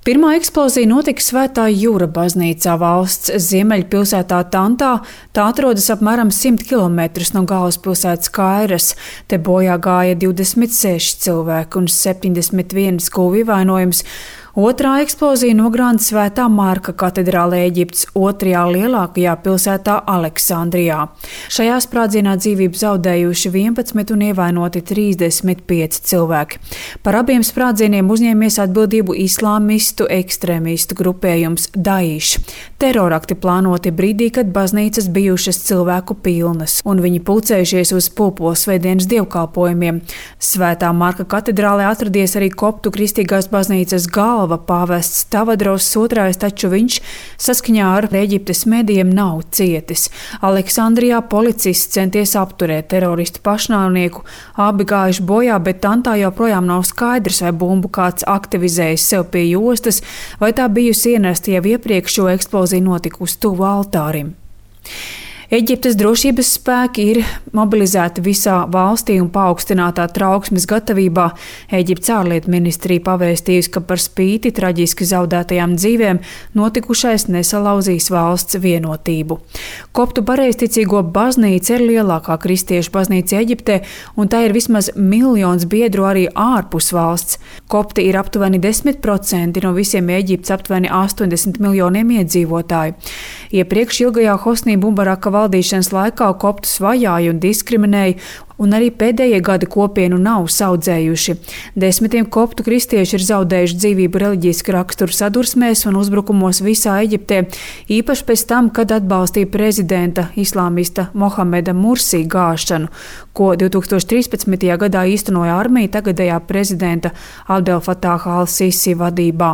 Pirmā eksplozija notika Svētā Jūra baznīcā valsts ziemeļpilsētā Tantā. Tā atrodas apmēram 100 km no galvaspilsētas Kairas. Te bojā gāja 26 cilvēki un 71 guva ievainojums. Otrā eksplozija nogrāna Svētā Marka katedrālē Eģiptes otrajā lielākajā pilsētā Aleksandrijā. Šajā sprādzienā dzīvību zaudējuši 11 un ievainoti 35 cilvēki. Par abiem sprādzieniem uzņēmies atbildību islāmistu ekstrēmistu grupējums Daiš. Terorakti plānoti brīdī, kad baznīcas bijušas cilvēku pilnas, un viņi pulcējušies uz Pulposvētdienas dievkalpojumiem. Svētā Marka katedrālē atradies arī koptu kristīgās baznīcas galva pāvests Tavadros II, taču viņš saskaņā ar Eģiptes medijiem nav cietis. Aleksandrijā policists centies apturēt teroristu pašnāvnieku. Abi gājuši bojā, bet Tantā joprojām nav skaidrs, vai bumbu kāds aktivizējis sev pie jostas, vai tā bijusi ienesta jau iepriekš, jo eksplozija notika uz tuvu altārim. Eģiptes drošības spēki ir mobilizēti visā valstī un paaugstinātā trauksmes gatavībā. Eģiptes ārlietu ministrija pavēstījusi, ka par spīti traģiski zaudētajām dzīvēm notikušais nesalauzīs valsts vienotību. Koptu pareizticīgo baznīca ir lielākā kristiešu baznīca Eģiptē, un tā ir vismaz 1 miljons biedru arī ārpus valsts. Kopti ir aptuveni 10% no visiem Eģiptes aptuveni 80 miljoniem iedzīvotāju. Iepriekš ilgajā Hosnī Mubaraka valdīšanas laikā koptus vajāja un diskriminēja, un arī pēdējie gadi kopienu nav saudzējuši. Desmitiem koptu kristieši ir zaudējuši dzīvību reliģiski raksturu sadursmēs un uzbrukumos visā Eģiptē, īpaši pēc tam, kad atbalstīja prezidenta islāmista Mohameda Mursī gāšanu, ko 2013. gadā īstenoja armija tagadējā prezidenta Abdel Fataha al-Sisi vadībā.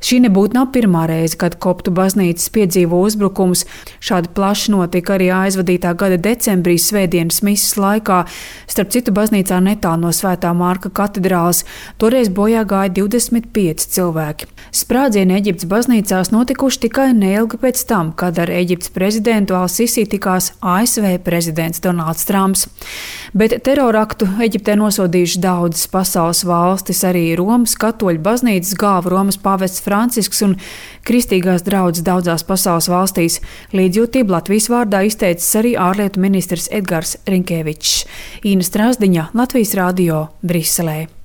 Šī nebūtu nav pirmā reize, kad koptu baznīcas piedzīvo uzbrukumus. Šādi plaši notika arī aizvadītā gada decembrī svētdienas mises laikā. Starp citu, baznīcā netālu no Svētā Marka katedrāles toreiz bojā gāja 25 cilvēki. Sprādzieni Eģiptes baznīcās notikuši tikai neilgi pēc tam, kad ar Eģiptes prezidentu al-Sisi tikās ASV prezidents Donalds Trumps. Bet teroraktu Eģiptē nosodījuši daudzas pasaules valstis, arī Romas katoļu baznīcas galva Romas pāvests Francisks un kristīgās draudzes daudzās pasaules valstīs. Līdzjūtību Latvijas vārdā izteicis arī ārlietu ministrs Edgars Rinkevičs. Īna Strasdiņa, Latvijas radio, Briselē.